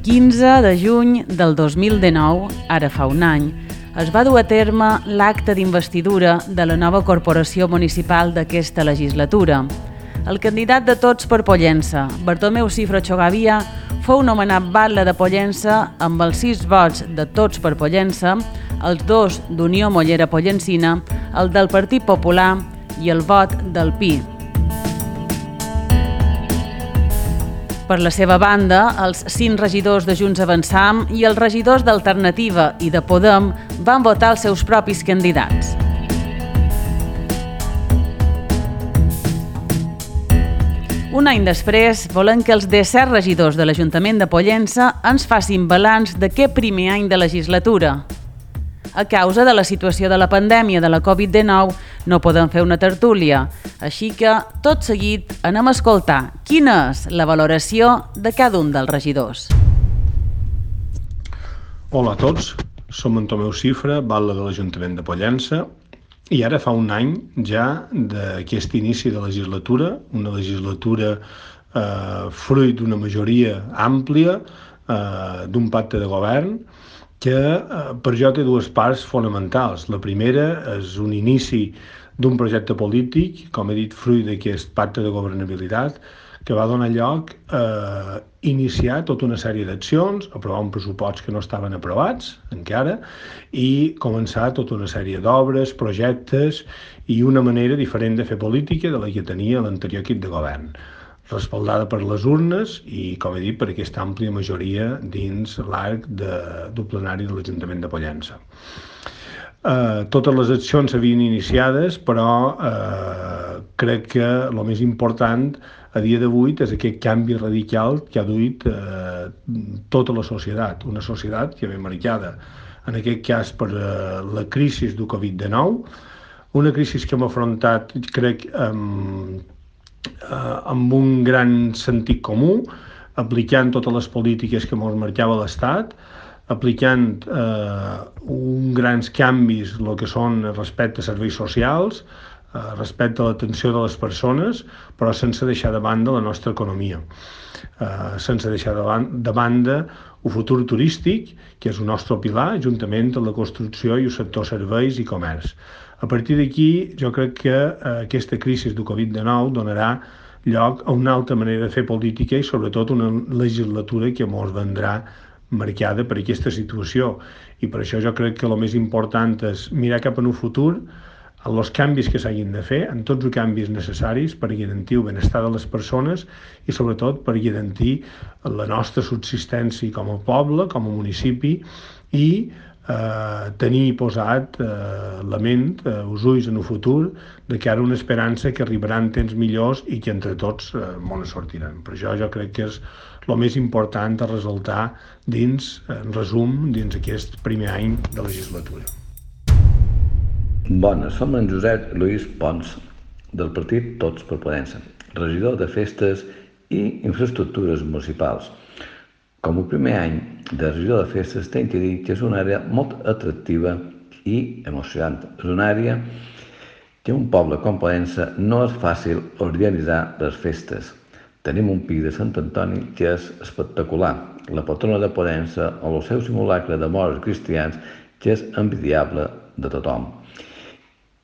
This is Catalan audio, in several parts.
15 de juny del 2019, ara fa un any, es va dur a terme l'acte d'investidura de la nova corporació municipal d'aquesta legislatura. El candidat de Tots per Pollença, Bartomeu Cifra Chogavia, fou nomenat batlle de Pollença amb els 6 vots de Tots per Pollença, els 2 d'Unió Mollera Pollensina, el del Partit Popular i el vot del PI. Per la seva banda, els 5 regidors de Junts Avançam i els regidors d'Alternativa i de Podem van votar els seus propis candidats. Un any després, volem que els 17 regidors de l'Ajuntament de Pollença ens facin balanç d'aquest primer any de legislatura. A causa de la situació de la pandèmia de la Covid-19 no podem fer una tertúlia, així que, tot seguit, anem a escoltar quina és la valoració de cada un dels regidors. Hola a tots, som en Tomeu Cifra, batlle de l'Ajuntament de Pollença, i ara fa un any ja d'aquest inici de legislatura, una legislatura fruit d'una majoria àmplia, d'un pacte de govern, que per jo té 2 parts fonamentals. La primera és un inici d'un projecte polític, com he dit, fruit d'aquest pacte de governabilitat, que va donar lloc a iniciar tota una sèrie d'accions, aprovar un pressupost que no estaven aprovats encara, i començar tota una sèrie d'obres, projectes i una manera diferent de fer política de la que tenia l'anterior equip de govern, respaldada per les urnes i, com he dit, per aquesta àmplia majoria dins l'arc del plenari de l'Ajuntament de Pollença. Totes les accions s'havien iniciades, però crec que el més important a dia d'avui és aquest canvi radical que ha duit tota la societat, una societat que ve marcada, en aquest cas, per la crisi del Covid-19, una crisi que hem afrontat, crec, amb un gran sentit comú, aplicant totes les polítiques que ens marcava l'Estat, aplicant uns grans canvis, el que són respecte a serveis socials, respecte a l'atenció de les persones, però sense deixar de banda la nostra economia, sense deixar de banda el futur turístic, que és el nostre pilar, juntament amb la construcció i el sector serveis i comerç. A partir d'aquí, jo crec que aquesta crisi del Covid-19 donarà lloc a una altra manera de fer política i sobretot una legislatura que ens vendrà marcada per aquesta situació. I per això jo crec que el més important és mirar cap en un futur, en els canvis que s'hagin de fer, en tots els canvis necessaris per garantir el benestar de les persones i sobretot per garantir la nostra subsistència com a poble, com a municipi i tenir posat la ment, els ulls en el futur, de cara a una esperança que arribaran temps millors i que entre tots mos sortiran. Per això jo crec que és el més important a ressaltar dins, en resum, dins aquest primer any de legislatura. Bones, som en Josep Lluís Pons, del partit Tots per Pollença, regidor de Festes i Infraestructures Municipals. Com el primer any de regidor de festes, tinc que dir que és una àrea molt atractiva i emocionant. És una àrea que un poble com Pollença no és fàcil organitzar les festes. Tenim un pic de Sant Antoni que és espectacular, la patrona de Pollença o el seu simulacre de morts cristians que és envidiable de tothom.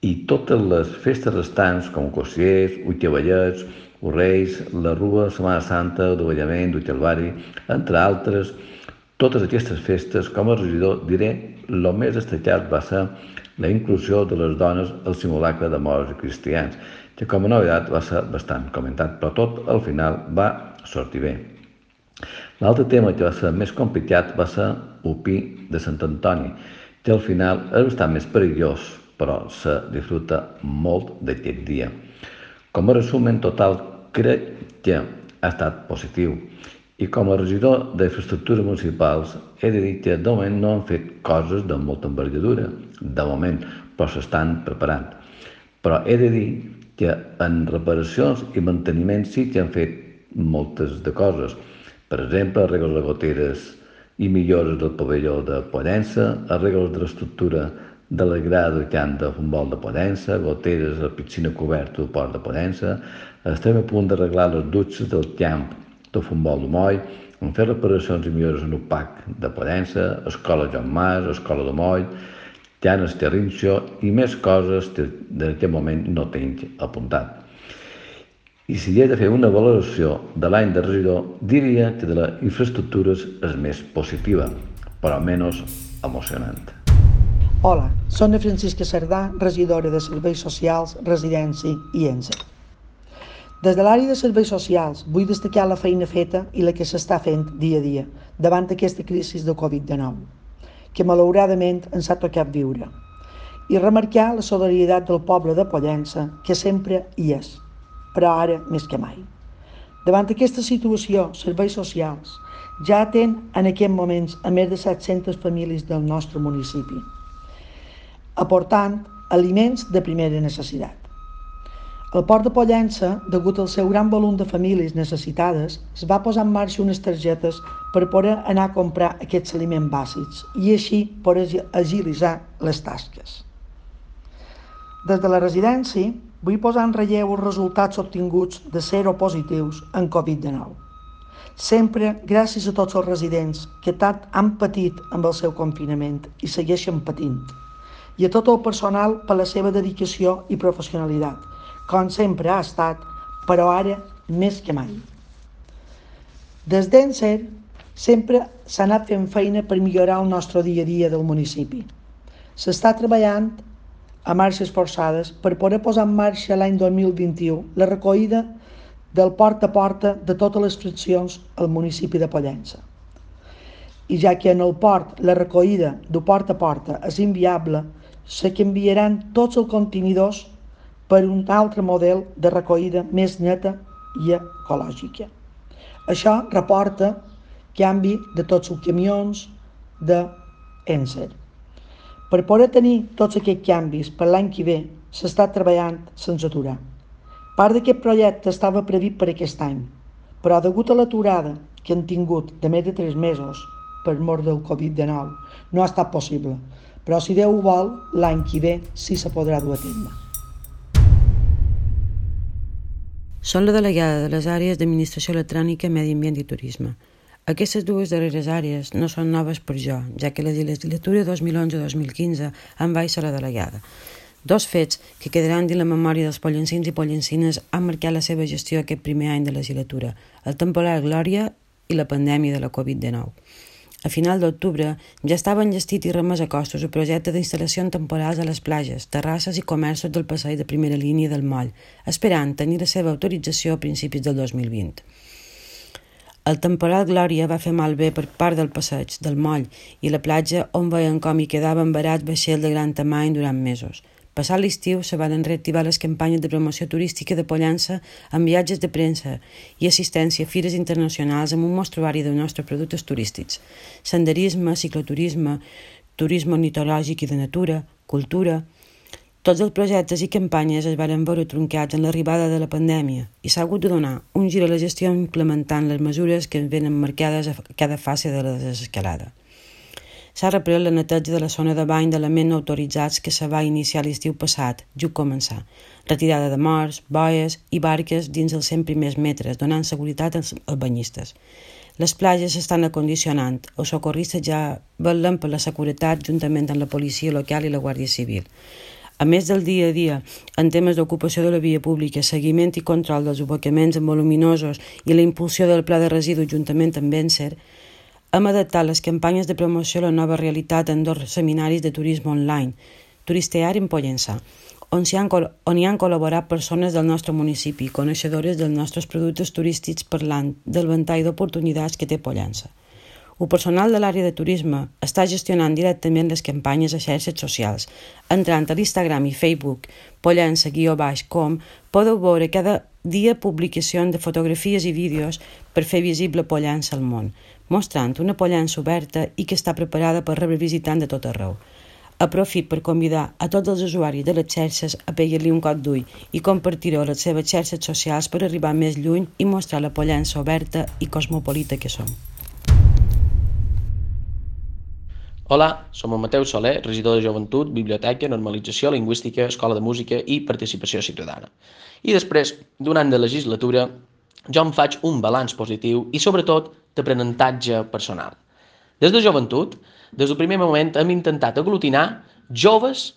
I totes les festes restants, com Cossiers, Ullcavallets, Reis, la Rua, Setmana Santa, el Davallament, el Calvari, entre altres, totes aquestes festes, com a regidor, diré, el més destacat va ser la inclusió de les dones al simulacre de morts cristians, que com a novetat va ser bastant comentat, però tot al final va sortir bé. L'altre tema que va ser més complicat va ser el pi de Sant Antoni, que al final és bastant més perillós, però se disfruta molt d'aquest dia. Com a resum en total, crec que ha estat positiu. I com a regidor d'infraestructures municipals he de dir que de moment no han fet coses de molta envergadura, de moment, però s'estan preparant. Però he de dir que en reparacions i manteniment sí que han fet moltes de coses. Per exemple, arregles de goteres i millores del pavelló de Pollença, arregles de l'estructura de la grada del camp de futbol de Pollença, goteres a la piscina coberta del port de Pollença. Estem a punt d'arreglar les dutxes del camp de futbol de Moll, en fer reparacions i millores en UPAC de Pollença, Escola Joan Mas, Escola de Moll, Llanes Terrinxo i més coses que en aquest moment no tinc apuntat. I si he de fer una valoració de l'any de regidor, diria que de les infraestructures és més positiva, però menys emocionant. Hola, soc la Francisca Cerdà, regidora de Serveis Socials, Residència i ENSE. Des de l'àrea de Serveis Socials vull destacar la feina feta i la que s'està fent dia a dia davant d'aquesta crisi de Covid-19, que malauradament ens ha tocat viure, i remarcar la solidaritat del poble de Pollença, que sempre hi és, però ara més que mai. Davant d'aquesta situació, Serveis Socials ja atén en aquests moments a més de 700 famílies del nostre municipi, aportant aliments de primera necessitat. El Port de Pollença, degut al seu gran volum de famílies necessitades, es va posar en marxa unes targetes per poder anar a comprar aquests aliments bàsics i així poder agilitzar les tasques. Des de la residència, vull posar en relleu els resultats obtinguts de seropositius en Covid-19. Sempre gràcies a tots els residents que tant han patit amb el seu confinament i segueixen patint, i a tot el personal per la seva dedicació i professionalitat, com sempre ha estat, però ara més que mai. Des d'ENSE sempre s'ha anat fent feina per millorar el nostre dia a dia del municipi. S'està treballant a marxes forçades per poder posar en marxa l'any 2021 la recollida del porta a porta de totes les fraccions al municipi de Pollença. I ja que en el port la recollida de porta a porta és inviable, se canviaran tots els contenidors per un altre model de recollida més neta i ecològica. Això reporta canvi de tots els camions d'ENSE. Per poder tenir tots aquests canvis per l'any que ve, s'està treballant sense aturar. Part d'aquest projecte estava previst per aquest any, però degut a l'aturada que han tingut de més de 3 mesos per mort del Covid-19, no ha estat possible. Però si Déu ho vol, l'any que ve sí se podrà dur a terme. Són la delegada de les àrees d'Administració Electrònica, Medi Ambient i Turisme. Aquestes dues darreres àrees no són noves per jo, ja que la legislatura 2011-2015 em vaig ser la delegada. Dos fets que quedaran dins la memòria dels pollencins i pollencines han marcat la seva gestió aquest primer any de legislatura, el temporal Glòria i la pandèmia de la Covid-19. A final d'octubre ja estava enllestit i remès a costos el projecte d'instal·lacions temporals a les platges, terrasses i comerços del passeig de primera línia del moll, esperant tenir la seva autorització a principis del 2020. El temporal Glòria va fer malbé per part del passeig, del moll i la platja on veien com hi quedaven varats vaixells de gran tamany durant mesos. Passat l'estiu se van reactivar les campanyes de promoció turística de Pollença amb viatges de premsa i assistència a fires internacionals amb un mostruari dels nostres productes turístics. Senderisme, cicloturisme, turisme ornitològic i de natura, cultura. Tots els projectes i campanyes es van veure truncats en l'arribada de la pandèmia i s'ha hagut de donar un gir a la gestió implementant les mesures que venen marcades a cada fase de la desescalada. S'ha reprès la neteja de la zona de bany d'elements no autoritzats que se va iniciar l'estiu passat, just començar. Retirada de morts, boies i barques dins els 100 primers metres, donant seguretat als banyistes. Les platges s'estan acondicionant, els socorristes ja vetllen per la seguretat juntament amb la policia local i la Guàrdia Civil. A més del dia a dia, en temes d'ocupació de la via pública, seguiment i control dels abocaments amb voluminosos i la impulsió del pla de residus juntament amb ENSE, hem adaptat les campanyes de promoció a la nova realitat en 2 seminaris de turisme online, Turistear en Pollença, on hi han col·laborat persones del nostre municipi, coneixedores dels nostres productes turístics parlant del ventall d'oportunitats que té Pollença. El personal de l'àrea de turisme està gestionant directament les campanyes a xarxes socials. Entrant a l'Instagram i Facebook pollença_com podeu veure cada dia publicacions de fotografies i vídeos per fer visible Pollença al món, mostrant una Pollença oberta i que està preparada per rebre visitants de tot arreu. Aprofit per convidar a tots els usuaris de les xarxes a pegar-li un cop d'ull i compartir-ho a les seves xarxes socials per arribar més lluny i mostrar la Pollença oberta i cosmopolita que som. Hola, som el Mateu Soler, regidor de Joventut, Biblioteca, Normalització Lingüística, Escola de Música i Participació Ciutadana. I després d'un any de legislatura, jo em faig un balanç positiu i, sobretot, d'aprenentatge personal. Des de joventut, des del primer moment hem intentat aglutinar joves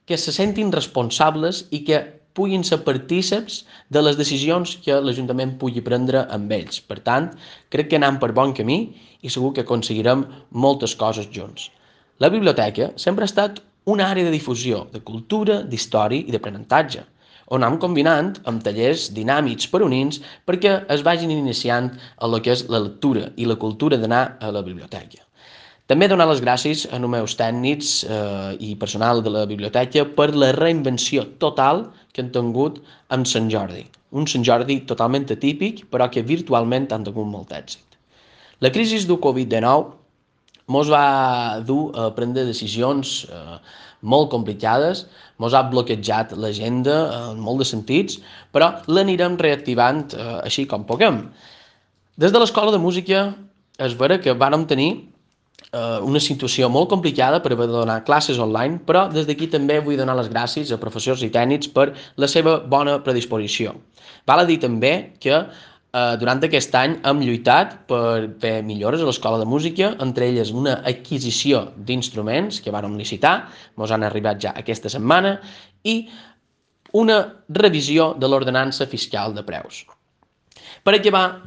que se sentin responsables i que puguin ser partíceps de les decisions que l'Ajuntament pugui prendre amb ells. Per tant, crec que anem per bon camí i segur que aconseguirem moltes coses junts. La biblioteca sempre ha estat una àrea de difusió, de cultura, d'història i d'aprenentatge, on anem combinant amb tallers dinàmics per unins perquè es vagin iniciant a lo que és la lectura i la cultura d'anar a la biblioteca. També donar les gràcies a els meus tècnics i personal de la biblioteca per la reinvenció total que han tingut amb Sant Jordi. Un Sant Jordi totalment atípic, però que virtualment han tingut molt èxit. La crisi del Covid-19 ens va dur a prendre decisions molt complicades, ens ha bloquejat l'agenda en molt de sentits, però l'anirem reactivant així com puguem. Des de l'Escola de Música és vera que vàrem tenir una situació molt complicada per haver de donar classes online, però des d'aquí també vull donar les gràcies a professors i tècnics per la seva bona predisposició. Val a dir també que durant aquest any hem lluitat per fer millores a l'Escola de Música, entre elles una adquisició d'instruments que vàrem licitar, ens han arribat ja aquesta setmana, i una revisió de l'ordenança fiscal de preus. Per acabar,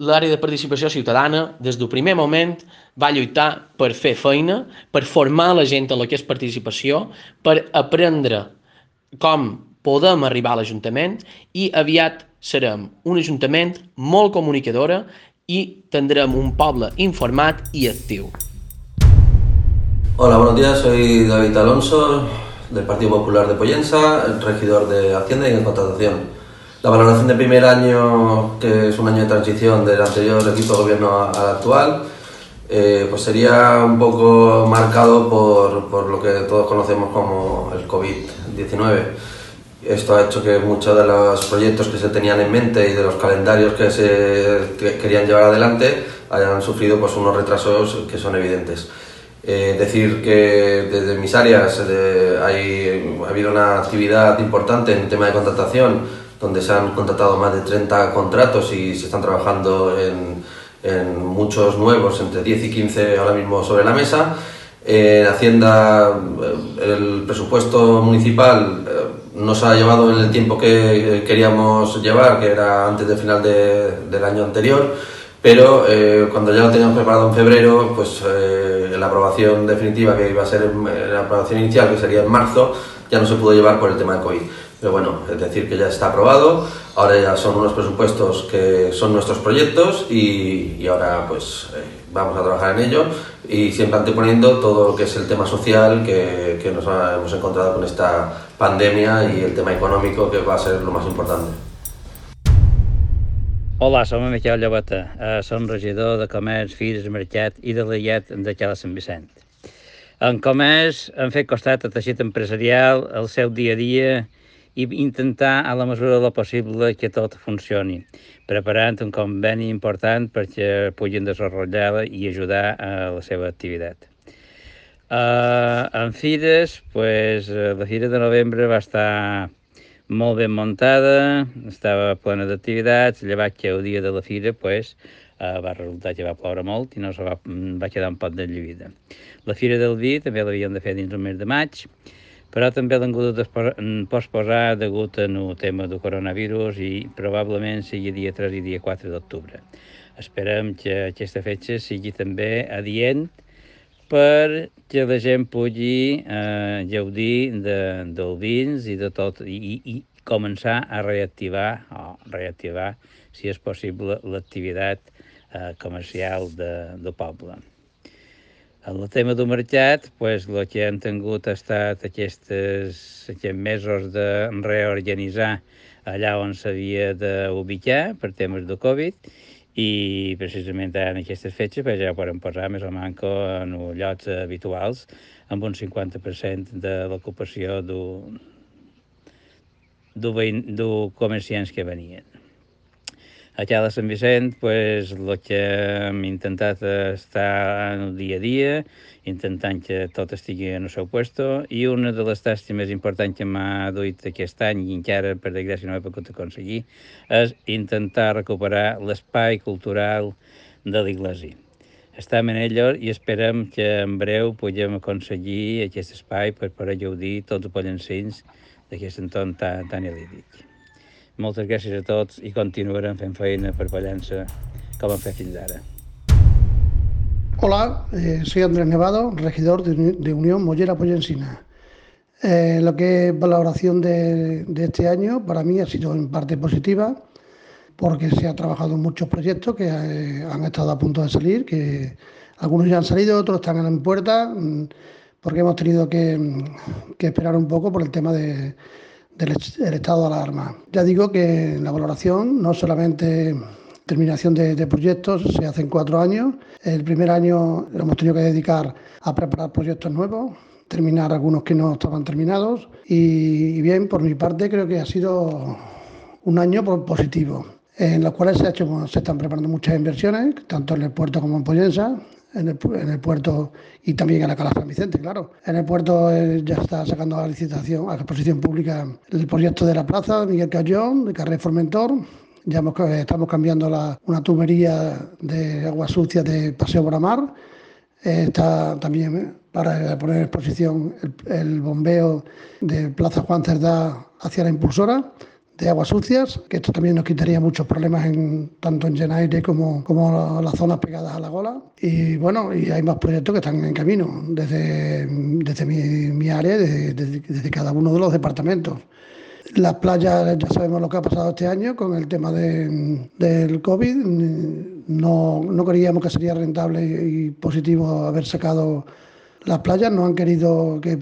l'àrea de participació ciutadana, des del primer moment, va lluitar per fer feina, per formar la gent en el que és participació, per aprendre com podem arribar a l'Ajuntament i aviat serem un Ajuntament molt comunicadora i tindrem un poble informat i actiu. Hola, buenos días, soy David Alonso, del Partido Popular de Pollensa, el regidor de Hacienda y de Contratación. La valoración del primer año, que es un año de transición del anterior equipo de gobierno al actual, pues sería un poco marcado por lo que todos conocemos como el COVID-19. Esto ha hecho que muchos de los proyectos que se tenían en mente y de los calendarios que se querían llevar adelante hayan sufrido pues unos retrasos que son evidentes. Decir que desde mis áreas ha habido una actividad importante en el tema de contratación, donde se han contratado más de 30 contratos y se están trabajando en muchos nuevos, entre 10 y 15 ahora mismo sobre la mesa. En Hacienda, el presupuesto municipal nos ha llevado en el tiempo que queríamos llevar, que era antes del final del año anterior, pero cuando ya lo teníamos preparado en febrero, pues la aprobación definitiva, que iba a ser la aprobación inicial, que sería en marzo, ya no se pudo llevar por el tema de COVID. Pero bueno, es decir, que ya está aprobado, ahora ya son unos presupuestos que son nuestros proyectos y ahora pues vamos a trabajar en ello y siempre anteponiendo todo lo que es el tema social que nos hemos encontrado con esta pandemia y el tema económico, que va a ser lo más importante. Hola, som en Miquel Llobeta, som regidor de Comerç, Fires, Mercat i de l'Illet de Cala Sant Vicent. En Comerç hem fet costat al teixit empresarial el seu dia a dia i intentar, a la mesura del possible, que tot funcioni, preparant un conveni important perquè puguin desenvolupar i ajudar a la seva activitat. En Fires, la Fira de Novembre va estar molt ben muntada, estava plena d'activitats, llevat que el dia de la Fira va resultar que va ploure molt i no va quedar un pot d'enllevida. La Fira del Vi també l'havíem de fer dins el mes de maig, però també l'han hagut de posposar degut al tema del coronavirus i probablement sigui dia 3 i dia 4 d'octubre. Esperem que aquesta fetge sigui també adient perquè la gent pugui gaudir del vins i de tot i començar a reactivar, si és possible, l'activitat comercial del poble. En el tema del mercat, el que han tingut ha estat aquests mesos de reorganitzar allà on s'havia d'ubicar per temes de Covid i precisament en aquestes fetges ja podem posar més o manco en llocs habituals amb un 50% de l'ocupació de comerciants que venien. Aquí a Sant Vicent, el que hem intentat estar en el dia a dia, intentant que tot estigui en el seu lloc, i una de les tasques més importants que m'ha duit aquest any, i encara per desgràcia no he pogut aconseguir, és intentar recuperar l'espai cultural de l'Iglesi. Estem en ello i esperem que en breu puguem aconseguir aquest espai per poder gaudir tots els pollancins d'aquest entorn tan idíl·lic. Moltes gràcies a tots i continuarem fent feina per Pollença com hem fet fins ara. Hola, soy Andrés Nevado, regidor de Unión Mollera Pollensina. Lo que es valoración de este año para mí ha sido en parte positiva, porque se ha trabajado en muchos proyectos que han estado a punto de salir, que algunos ya han salido, otros están en puerta, porque hemos tenido que esperar un poco por el tema del estado de alarma. Ya digo que la valoración no solamente terminación de proyectos, se hace en 4 años. El primer año lo hemos tenido que dedicar a preparar proyectos nuevos, terminar algunos que no estaban terminados y bien, por mi parte creo que ha sido un año positivo, en los cuales se están preparando muchas inversiones, tanto en el puerto como en Pollença, en el puerto y también en la Cala San Vicente, claro. En el puerto ya está sacando a licitación, a exposición pública, el proyecto de la plaza de Miguel Cayón, de Carrer Formentor. Ya estamos cambiando una tubería de agua sucia de Paseo Bramar. Está también para poner en exposición el bombeo de Plaza Juan Cerdá hacia la impulsora de aguas sucias, que esto también nos quitaría muchos problemas tanto en Genaire como las zonas pegadas a la gola. Y bueno, y hay más proyectos que están en camino desde mi área, desde cada uno de los departamentos. Las playas, ya sabemos lo que ha pasado este año con el tema del COVID. No creíamos que sería rentable y positivo haber sacado las playas. No han querido que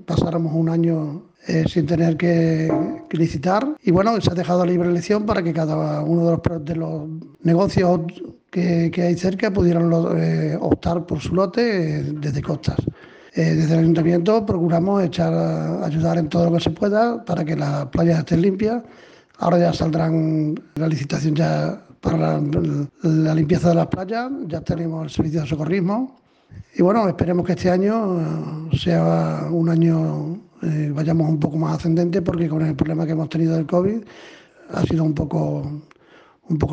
pasáramos un año sin tener que licitar. Y bueno, se ha dejado libre elección para que cada uno de los negocios que hay cerca pudieran optar por su lote desde costas. Desde el Ayuntamiento procuramos ayudar en todo lo que se pueda para que las playas estén limpias. Ahora ya saldrán la licitación ya para la limpieza de las playas, ya tenemos el servicio de socorrismo. Y bueno, esperemos que este año sea un año, vayamos un poco más ascendente, porque con el problema que hemos tenido del COVID ha sido un poco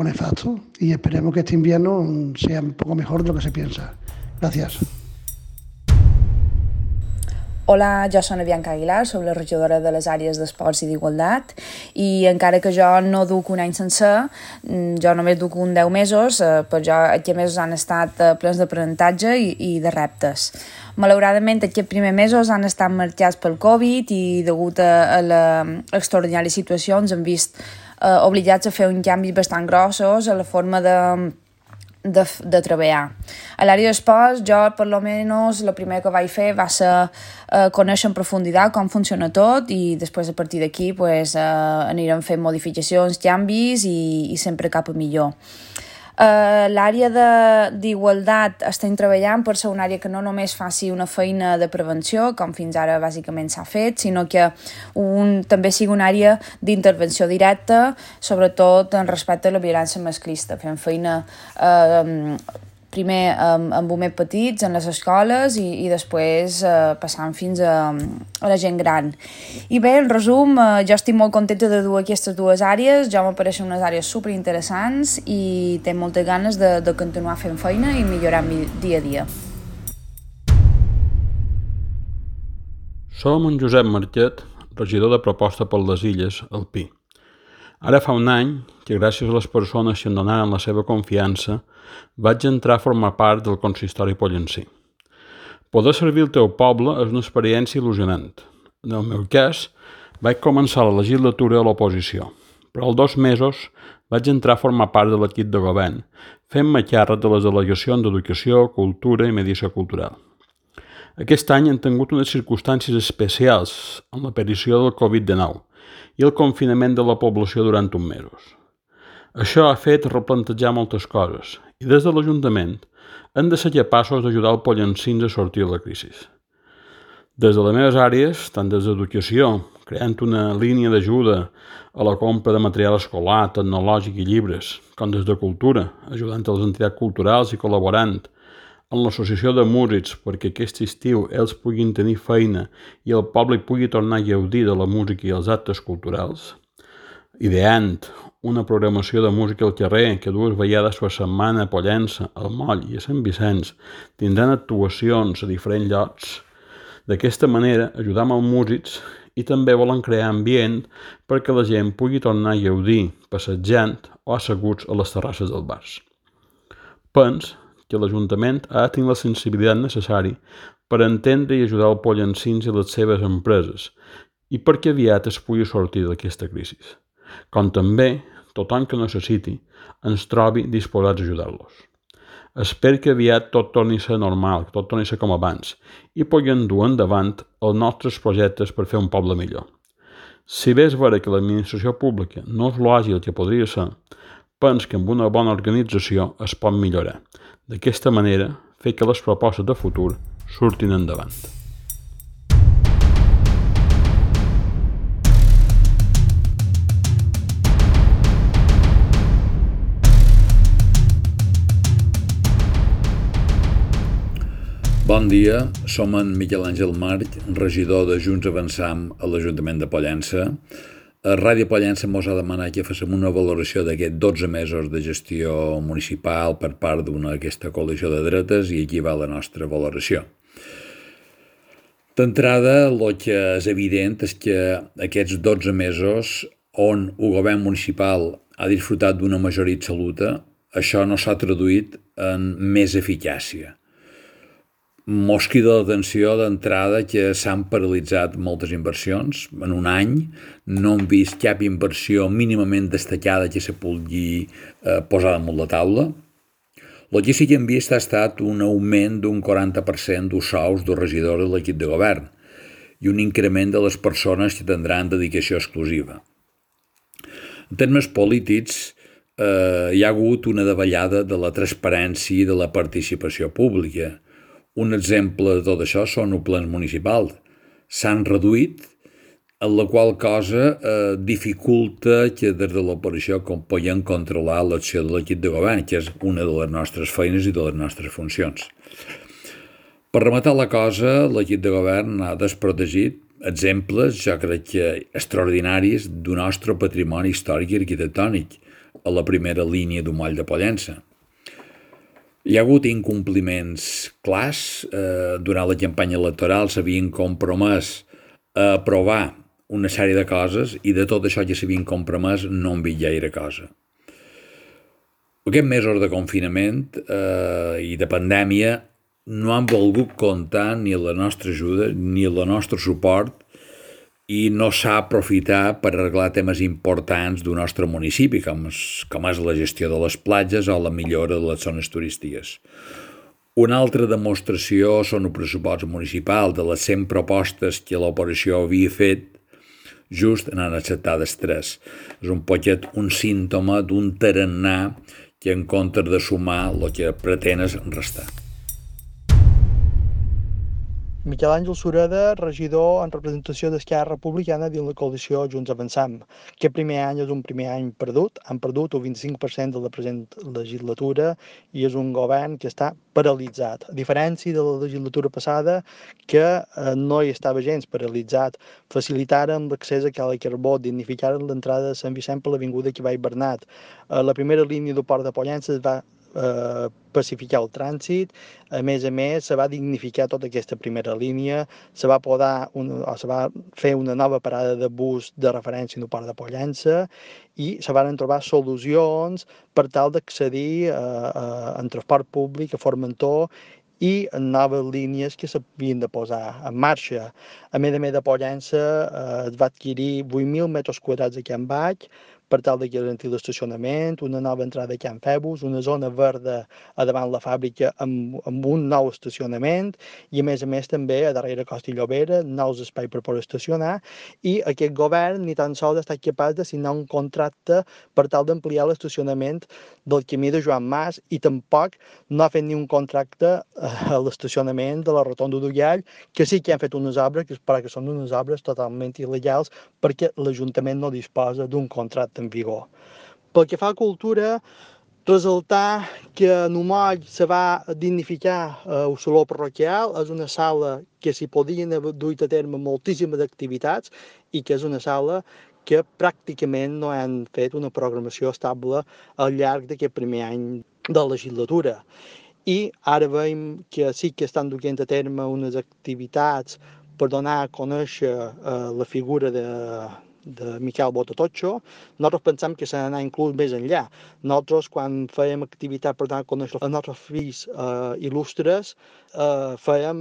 nefasto. Y esperemos que este invierno sea un poco mejor de lo que se piensa. Gracias. Hola, jo soc Bianca Aguilar, soc la regidora de les àrees d'esports i d'igualtat i encara que jo no duc un any sencer, jo només duc 10 mesos, però jo aquests mesos han estat plens d'aprenentatge i de reptes. Malauradament, aquests primers mesos han estat marcats pel Covid i degut a l'extraordinària situació ens hem vist obligats a fer uns canvis bastant grossos a la forma de treballar. A l'àrea d'esports, jo, per lo menos, el primer que vaig fer va ser conèixer en profunditat com funciona tot i després, a partir d'aquí, anirem fent modificacions, canvis i sempre cap a millor. L'àrea d'igualtat estem treballant per ser una àrea que no només faci una feina de prevenció, com fins ara bàsicament s'ha fet, sinó que també sigui una àrea d'intervenció directa, sobretot en respecte a la violència masclista, fent feina primer amb més petits en les escoles i després passant fins a la gent gran. I bé, en resum, jo estic molt contenta de dur aquestes dues àrees, jo m'apareixen unes àrees superinteressants i tinc moltes ganes de continuar fent feina i millorar dia a dia. Som en Josep Marquet, regidor de Proposta per les Illes, al Pi. Ara fa un any que, gràcies a les persones que em donaren la seva confiança, vaig entrar a formar part del consistori pollensí. Poder servir el teu poble és una experiència il·lusionant. En el meu cas, vaig començar la legislatura a l'oposició, però als 2 mesos vaig entrar a formar part de l'equip de govern, fent-me càrrec de les delegacions d'Educació, Cultura i Mediació Cultural. Aquest any hem tingut unes circumstàncies especials amb l'aparició del Covid-19 i el confinament de la població durant uns mesos. Això ha fet replantejar moltes coses i des de l'Ajuntament hem de ser capaços d'ajudar els pollensins a sortir de la crisi. Des de les meves àrees, tant des d'Educació, creant una línia d'ajuda a la compra de material escolar, tecnològic i llibres, com des de Cultura, ajudant les entitats culturals i col·laborant amb l'Associació de Músics perquè aquest estiu ells puguin tenir feina i el poble pugui tornar a gaudir de la música i els actes culturals. ideant una programació de música al carrer que 2 vegades per setmana a Pollença, al Moll i a Sant Vicenç tindran actuacions a diferents llocs. D'aquesta manera ajudam els músics i també volen crear ambient perquè la gent pugui tornar a gaudir passejant o asseguts a les terrasses dels bars. Pens que l'Ajuntament ha de tenir la sensibilitat necessària per entendre i ajudar els pollencins i les seves empreses i perquè aviat es pugui sortir d'aquesta crisi. Com també, tothom que necessiti ens trobi disposats a ajudar-los. Espero que aviat tot torni a ser normal, que tot torni a ser com abans, i puguem dur endavant els nostres projectes per fer un poble millor. Si bé és vera que l'administració pública no és l'àgil que podria ser, penso que amb una bona organització es pot millorar. D'aquesta manera, fer que les propostes de futur surtin endavant. Bon dia, som en Miquel Àngel March, regidor de Junts Avançam a l'Ajuntament de Pollença. Ràdio Pollença mos ha demanat que féssim una valoració d'aquests 12 mesos de gestió municipal per part d'aquesta coalició de dretes i aquí va la nostra valoració. D'entrada, el que és evident és que aquests 12 mesos on el govern municipal ha disfrutat d'una majoria absoluta, això no s'ha traduït en més eficàcia. Mos crida l'atenció d'entrada que s'han paralitzat moltes inversions. En un any no hem vist cap inversió mínimament destacada que se pugui posar damunt la taula. El que sí que hem vist ha estat un augment d'un 40% dels sous dels regidors de l'equip de govern i un increment de les persones que tindran dedicació exclusiva. En termes polítics, hi ha hagut una davallada de la transparència i de la participació pública. Un exemple de tot això són els plens municipals. S'han reduït, en la qual cosa dificulta que des de l'oposició puguem controlar l'acció de l'equip de govern, que és una de les nostres feines i de les nostres funcions. Per rematar la cosa, l'equip de govern ha desprotegit exemples, jo crec que extraordinaris, del nostre patrimoni històric i arquitectònic, a la primera línia del moll de Pollença. Hi ha hagut incompliments clars. Durant la campanya electoral s'havien compromès a aprovar una sèrie de coses i de tot això que s'havien compromès no hem vist gaire cosa. Aquests mesos de confinament i de pandèmia no han volgut comptar ni la nostra ajuda ni el nostre suport i no s'ha aprofitat per arreglar temes importants del nostre municipi, com és la gestió de les platges o la millora de les zones turístiques. Una altra demostració són el pressupost municipal. De les 100 propostes que l'oposició havia fet, just n'han acceptades 3. És un poquet un símptoma d'un tarannà que en comptes de sumar el que pretén és restar. Miquel Àngel Sureda, regidor en representació d'Esquerra Republicana dins la coalició Junts Avançam. Aquest primer any és un primer any perdut. Han perdut el 25% de la present legislatura i és un govern que està paralitzat. A diferència de la legislatura passada, que no hi estava gens paralitzat. Facilitaren l'accés a Cala Carbó, dignificaren l'entrada de Sant Vicent per l'avinguda que va Bernat. La primera línia del port de Pollença es va pacificar el trànsit. A més, se va dignificar tota aquesta primera línia, se va fer una nova parada de bus de referència en el port de Pollença i se van trobar solucions per tal d'accedir en transport públic a Formentor i en noves línies que s'havien de posar en marxa. A més de Pollença es va adquirir 8.000 metres quadrats a Can Baix per tal de garantir l'estacionament, una nova entrada a Can Febus, una zona verda a davant la fàbrica amb un nou estacionament i a més també a darrere Costa i Llobera, nous espais per poder estacionar i aquest govern ni tan sols ha estat capaç de signar un contracte per tal d'ampliar l'estacionament del camí de Joan Mas i tampoc no ha fet ni un contracte a l'estacionament de la Rotonda d'Ullall, que sí que han fet unes obres, però que són unes obres totalment il·legals perquè l'Ajuntament no disposa d'un contracte en vigor. Pel que fa a cultura, Resultar que en Moll se va dignificar el saló parroquial, és una sala que s'hi podien haver duit a terme moltíssimes activitats i que és una sala que pràcticament no han fet una programació estable al llarg d'aquest primer any de legislatura. I ara veiem que sí que estan duent a terme unes activitats per donar a conèixer la figura de Miquel Botatotxo. Nosaltres pensem que s'ha d'anar inclús més enllà. Nosaltres, quan fèiem activitat per donar a conèixer els nostres fills il·lustres, fèiem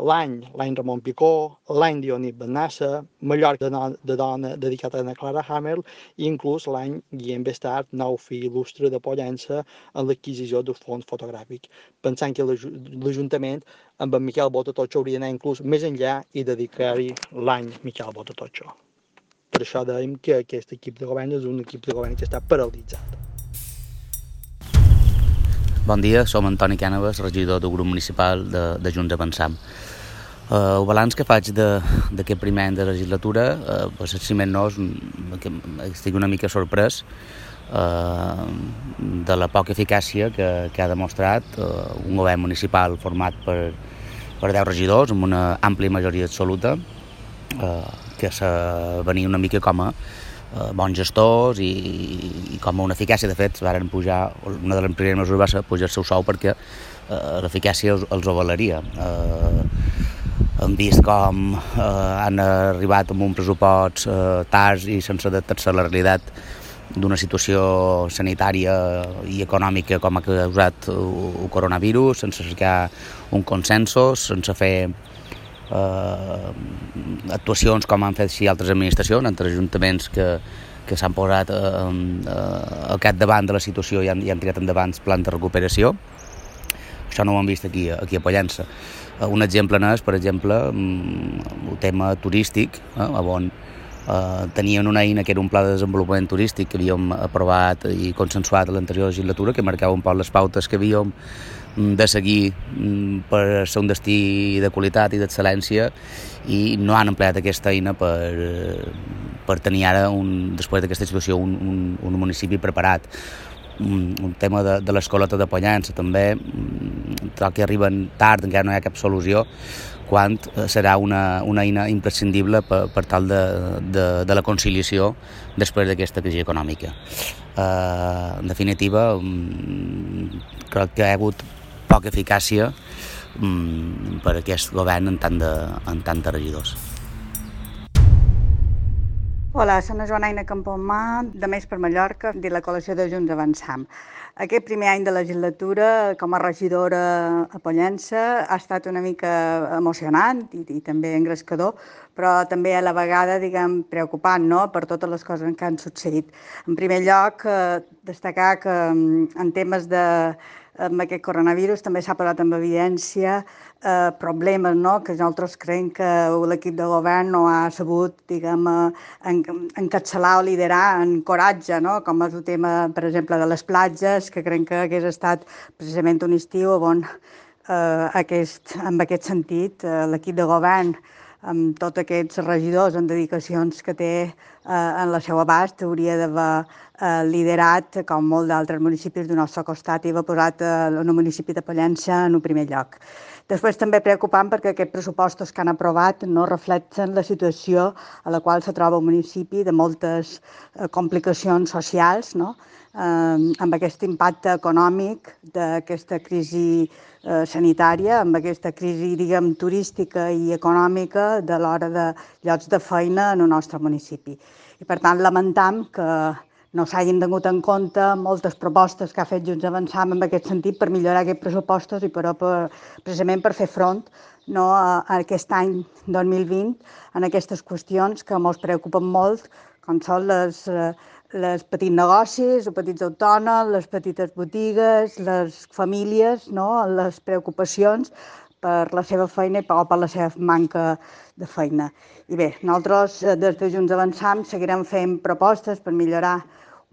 l'any Ramon Picó, l'any Dionís Benassa, Mallorca de dona dedicat a Ana Clara Hammer i inclús l'any Guillem Bestart, nou fill il·lustre de Pollença, en l'adquisició d'un fons fotogràfic. Pensant que l'Ajuntament amb en Miquel Botatotxo hauria d'anar inclús més enllà i dedicar-hi l'any Miquel Botatotxo. Per això dèiem que aquest equip de govern és un equip de govern que està paralitzat. Bon dia, som Antoni Cànovas, regidor del grup municipal de Junts Avançam. El balanç que faig d'aquest primer any de legislatura, si més no, estic una mica sorprès de la poca eficàcia que ha demostrat un govern municipal format per 10 regidors amb una àmplia majoria absoluta, que venia una mica com a bons gestors i com a una eficàcia. De fet, varen pujar, una de les primeres mesures va ser pujar el seu sou perquè l'eficàcia els avalaria. Hem vist com han arribat amb un pressupost tard i sense adaptar-se a la realitat d'una situació sanitària i econòmica com ha causat el coronavirus, sense cercar un consensos, sense fer actuacions com han fet així altres administracions, altres ajuntaments que s'han posat al capdavant de la situació i han tirat endavant plans de recuperació. Això no ho hem vist aquí a Pollença. Un exemple n'és, per exemple, el tema turístic, on tenien una eina que era un pla de desenvolupament turístic que havíem aprovat i consensuat a l'anterior legislatura, que marcava un poc les pautes que havíem de seguir per ser un destí de qualitat i d'excel·lència, i no han empleat aquesta eina per tenir ara, després d'aquesta situació, un municipi preparat. Un tema de l'escoleta de Pollença també, que arriben tard, encara no hi ha cap solució, quan serà una eina imprescindible per tal de la conciliació després d'aquesta crisi econòmica. En definitiva, crec que hi ha hagut poca eficàcia per aquest govern en tant de regidors. Hola, soc la Joana Campomà, de Més per Mallorca, de la coalició de Junts Avançam. Aquest primer any de legislatura, com a regidora a Pollença, ha estat una mica emocionant i també engrescador, però també a la vegada, preocupant, no?, per totes les coses que han succeït. En primer lloc, destacar que en temes amb aquest coronavirus també s'ha posat en evidència problemes, no?, que nosaltres creiem que l'equip de govern no ha sabut, encapçalar o liderar en coratge, no?, com és el tema, per exemple, de les platges, que creiem que hagués estat precisament un estiu on, en aquest sentit, l'equip de govern, amb tots aquests regidors en dedicacions que té en la seva abast, hauria d'haver liderat, com molts d'altres municipis del nostre costat, i haver posat el municipi de Pollença en el primer lloc. Després també preocupant perquè aquests pressupostos que han aprovat no reflecten la situació a la qual se troba el municipi, de moltes complicacions socials, no?, amb aquest impacte econòmic d'aquesta crisi sanitària, amb aquesta crisi, turística i econòmica de l'hora de llocs de feina en el nostre municipi. I, per tant, lamentam que no s'hagin tingut en compte moltes propostes que ha fet Junts Avançam en aquest sentit per millorar aquests pressupostos i precisament per fer front a aquest any 2020 en aquestes qüestions que ens preocupen molt, com són les petits negocis, els petits autònoms, les petites botigues, les famílies, les preocupacions per la seva feina o per la seva manca de feina. I bé, nosaltres des de Junts Avançam seguirem fent propostes per millorar el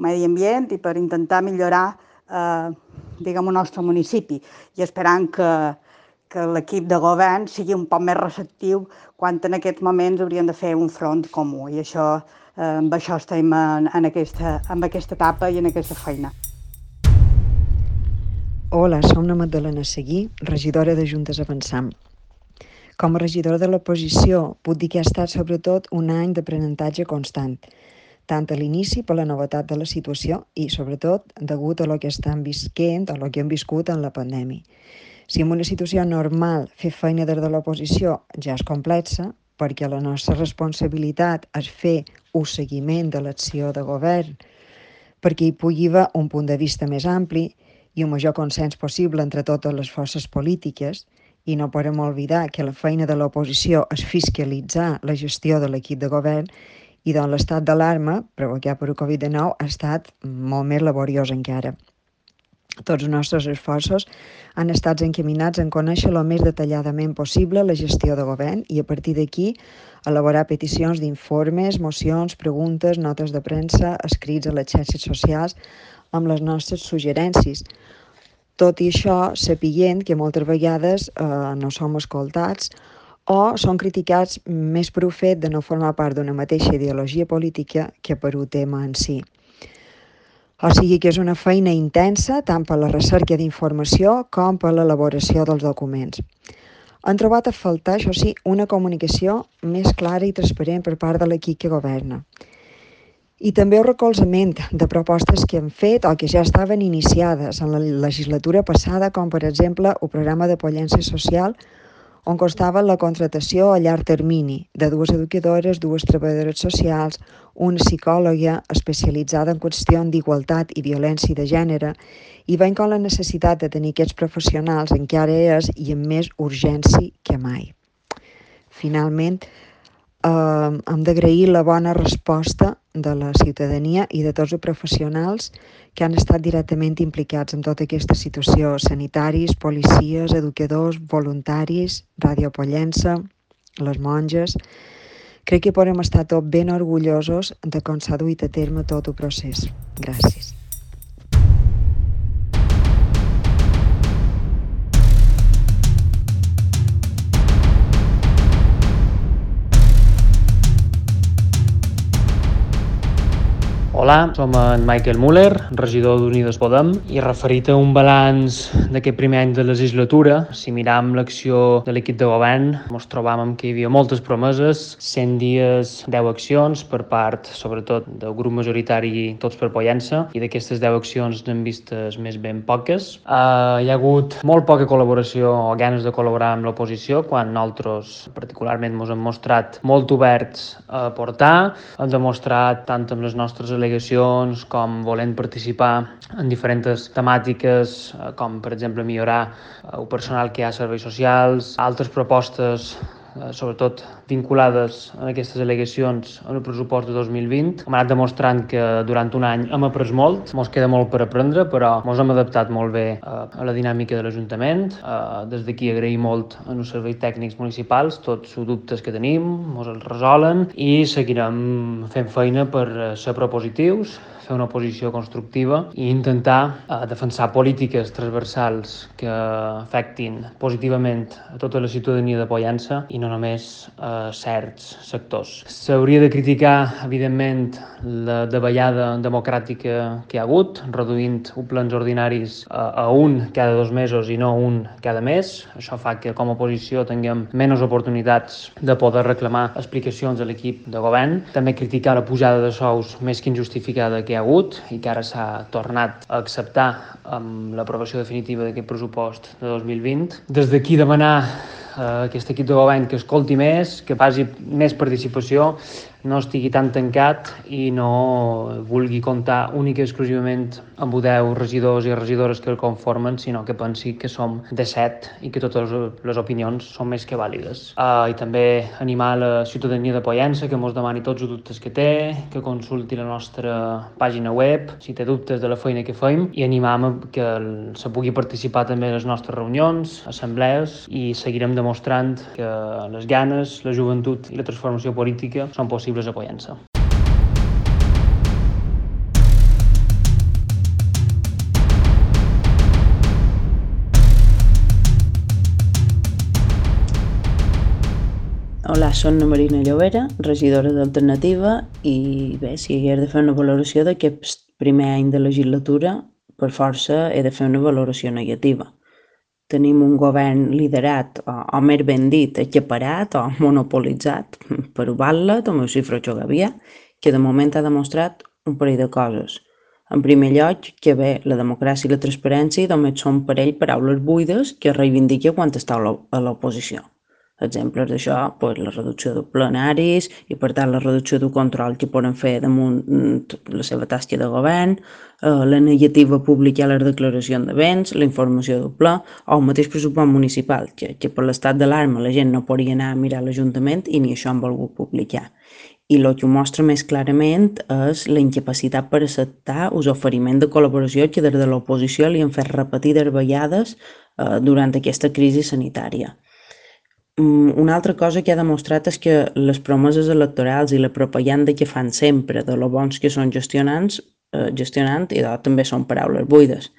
medi ambient i per intentar millorar el nostre municipi i esperant que l'equip de govern sigui un poc més receptiu quan en aquests moments hauríem de fer un front comú i amb això estem en aquesta etapa i en aquesta feina. Hola, som la Magdalena Seguí, regidora de Juntes Avançam. Com a regidora de l'oposició, puc dir que ha estat sobretot un any d'aprenentatge constant, tant a l'inici per la novetat de la situació i, sobretot, degut a el que estan visquent o el que hem viscut en la pandèmia. Si en una situació normal fer feina des de l'oposició ja és complexa, perquè la nostra responsabilitat és fer un seguiment de l'acció de govern, perquè hi pugui haver un punt de vista més ampli i un major consens possible entre totes les forces polítiques, i no podem oblidar que la feina de l'oposició és fiscalitzar la gestió de l'equip de govern i doncs l'estat d'alarma provocat per el Covid-19 ha estat molt més laboriós encara. Tots els nostres esforços han estat encaminats en conèixer el més detalladament possible la gestió de govern i a partir d'aquí elaborar peticions d'informes, mocions, preguntes, notes de premsa, escrits a les xarxes socials amb les nostres suggerències. Tot i això, sapiguent que moltes vegades no som escoltats o són criticats més per el fet de no formar part d'una mateixa ideologia política que per un tema en si. O sigui que és una feina intensa tant per la recerca d'informació com per l'elaboració dels documents. Han trobat a faltar, això sí, una comunicació més clara i transparent per part de l'equip que governa. I també el recolzament de propostes que han fet o que ja estaven iniciades en la legislatura passada, com per exemple el programa de Pollença Social, on constava la contratació a llarg termini de 2 educadores, 2 treballadores socials, una psicòloga especialitzada en qüestions d'igualtat i violència de gènere, i veient com la necessitat de tenir aquests professionals encara és i amb més urgència que mai. Finalment, hem d'agrair la bona resposta de la ciutadania i de tots els professionals que han estat directament implicats en tota aquesta situació, sanitaris, policies, educadors, voluntaris, Ràdio Pollença, les monges. Crec que podem estar tots ben orgullosos de com s'ha duit a terme tot el procés. Gràcies. Hola, som en Michael Müller, regidor d'Unides Podem, i referit a un balanç d'aquest primer any de legislatura, si miram l'acció de l'equip de govern, ens trobàvem que hi havia moltes promeses, 100 dies, 10 accions per part, sobretot, del grup majoritari Tots per Pollença, i d'aquestes 10 accions n'hem vistes més ben poques. Hi ha hagut molt poca col·laboració o ganes de col·laborar amb l'oposició, quan nosaltres particularment ens hem mostrat molt oberts a aportar, hem demostrat tant amb les nostres al·legacions com volent participar en diferents temàtiques, com per exemple millorar el personal que hi ha a serveis socials, altres propostes sobretot vinculades a aquestes al·legacions en el pressupost de 2020. Hem anat demostrant que durant un any hem après molt, ens queda molt per aprendre, però ens hem adaptat molt bé a la dinàmica de l'Ajuntament. Des d'aquí agrair molt als serveis tècnics municipals tots els dubtes que tenim, ens els resolen i seguirem fent feina per ser propositius, fer una oposició constructiva i intentar defensar polítiques transversals que afectin positivament a tota la ciutadania de Pollença i no només a certs sectors. S'hauria de criticar, evidentment, la davallada democràtica que hi ha hagut, reduint plens ordinaris a un cada 2 mesos i no un cada mes. Això fa que com a oposició tinguem menys oportunitats de poder reclamar explicacions a l'equip de govern. També criticar la pujada de sous més que injustificada que hi ha hagut i que ara s'ha tornat a acceptar amb l'aprovació definitiva d'aquest pressupost de 2020. Des d'aquí demanar a aquest equip de govern que escolti més, que faci més participació, no estigui tan tancat i no vulgui comptar únic i exclusivament amb 10 regidors i regidores que el conformen, sinó que pensi que som de 7 i que totes les opinions són més que vàlides. I també animar la ciutadania de Pollença que ens demani tots els dubtes que té, que consulti la nostra pàgina web si té dubtes de la feina que fem i animar que se pugui participar també a les nostres reunions, assemblees i seguirem demostrant que les ganes, la joventut i la transformació política són possibles a Pollença. Hola, soc la Marina Llobera, regidora d'Alternativa, i bé, si hagués de fer una valoració d'aquest primer any de legislatura, per força he de fer una valoració negativa. Tenim un govern liderat, o més ben dit, acaparat o monopolitzat per Batlet o Eusifro Gavia, que de moment ha demostrat un parell de coses. En primer lloc, que bé, la democràcia i la transparència només són per ell paraules buides que reivindica quan està a l'oposició. Exemples d'això, la reducció de plenaris i, per tant, la reducció del control que poden fer damunt la seva tasca de govern, la negativa a publicar les declaracions de béns, la informació del ple o el mateix pressupost municipal, que per l'estat d'alarma la gent no podria anar a mirar l'Ajuntament i ni això han volgut publicar. I el que ho mostra més clarament és la incapacitat per acceptar els oferiments de col·laboració que des de l'oposició li han fet repetides vegades durant aquesta crisi sanitària. Una altra cosa que ha demostrat és que les promeses electorals i la propaganda que fan sempre de lo bons que són gestionant i també són paraules buides.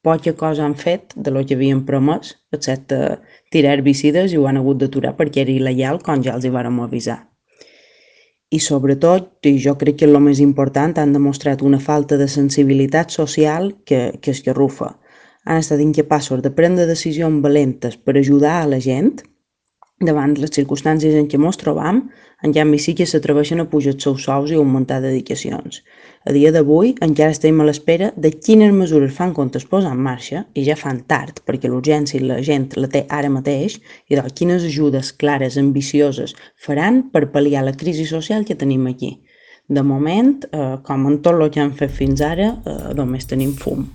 Poca cosa han fet de lo que havien promès, excepte tirar herbicides i ho han hagut d'aturar perquè era il·legal com ja els hi vàrem avisar. I sobretot, i jo crec que és el més important, han demostrat una falta de sensibilitat social que esgarrufa. Han estat incapaços de prendre decisions valentes per ajudar a la gent davant les circumstàncies en què ens trobam, en canvi sí que s'atreveixen a pujar els seus sous i augmentar dedicacions. A dia d'avui encara estem a l'espera de quines mesures fan comptes posar en marxa, i ja fan tard perquè l'urgència la gent la té ara mateix, i de quines ajudes clares, ambicioses faran per pal·liar la crisi social que tenim aquí. De moment, com en tot el que han fet fins ara, només tenim fum.